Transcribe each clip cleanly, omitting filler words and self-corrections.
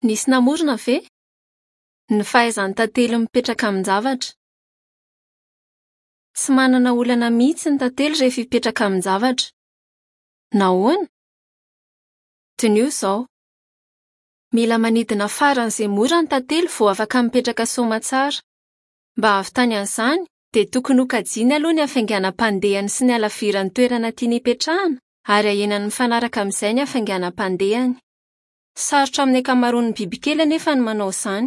Nisy namorona ve? Ny fahaizan'ny tantely mipetraka amin-javatra. Tsy manana olana mihitsy ny tantely rehefa hipetraka amin-javatra. Nahoana? Diniho izao. Mila manidina faran'izay mora ny tantely vao afaka mipetraka soamatsara. Mba hahavitany an'izany, dia tokony hokajiany aloha ny hafainganam-pandehany sy ny halaviran'ny toerana tiany hipetrahana, ary ahenany mifanaraka amin'izay ny hafainganam-pandehany. Sarotra amin'ny ankamaroan'ny bibikely anefa ny manao izany.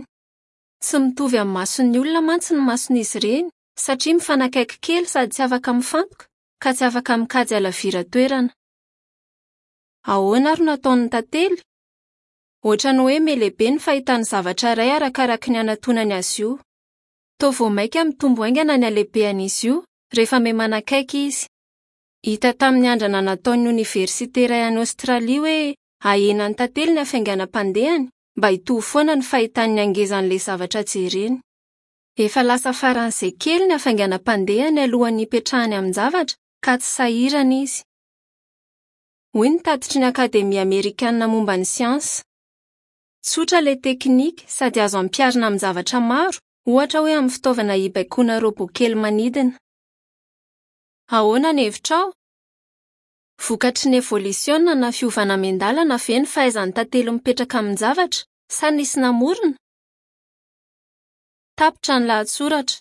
Tsy mitovy amin'ny mason'ny olona mantsy ny mason'izy ireny, satria mifanakaiky kely sady tsy afaka mifantoka, ka tsy afaka mikajy halaviran-toerana. Ahoana ary no ataon'ny tantely? Hoatran'ny hoe mihalehibe ny fahitany zavatra iray arakaraka ny anatonany azy io. Toa vao mainka mitombo haingana ny halehibehan'izy io, rehefa mihamanakaiky izy. Hita tamin'ny andrana nataon'ny oniversite iray any Aostralia hoe Ahenan'ny tantely ny hafainganam-pandehany mba hitovy foana ny fahitany ny hangezan'ilay zavatra jereny. Efa lasa faran'izay kely ny hafainganam-pandehany alohan'ny hipetrahany amin-javatra ka tsy sahirana izy. Hoy ny tatitry ny Akademia Amerikanina Momba ny Siansa. Tsotra ilay teknika sady azo ampiharina amin-javatra maro, ohatra hoe amin'ny fitaovana hibaikoana robot kely manidina. Ahoana ny hevitrao? Vokatry ny evolisiona na fiovana miandalana ve ny fahaizan'ny tantely mipetraka amin-javatra sa nisy namorona? Tapitra ny lahatsoratra.